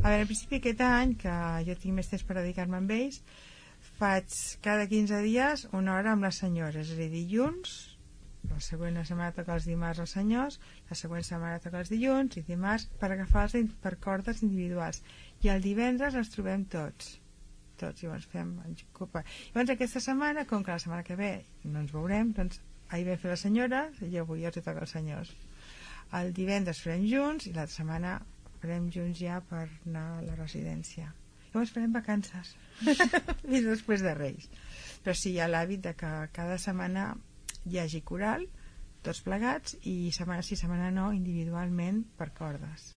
A veure, al principi aquest any, que jo tinc més temps per dedicar-me amb ells, faig cada 15 dies una hora amb les senyores, és a dir, dilluns, la següent setmana toca els dimarts als senyors, la següent setmana toca els dilluns i dimarts per agafar-los per cordes individuals, i el divendres els trobem tots, i llavors fem llavors aquesta setmana, com que la setmana que ve no ens veurem, doncs ahir vam fer les senyores i avui els toca els senyors. El divendres farem junts i l'altra setmana farem junts ja per anar a la residència. Llavors farem vacances fins després de Reis. Però sí, hi ha l'hàbit de que cada setmana hi hagi coral, tots plegats, i setmana sí, setmana no, individualment per cordes.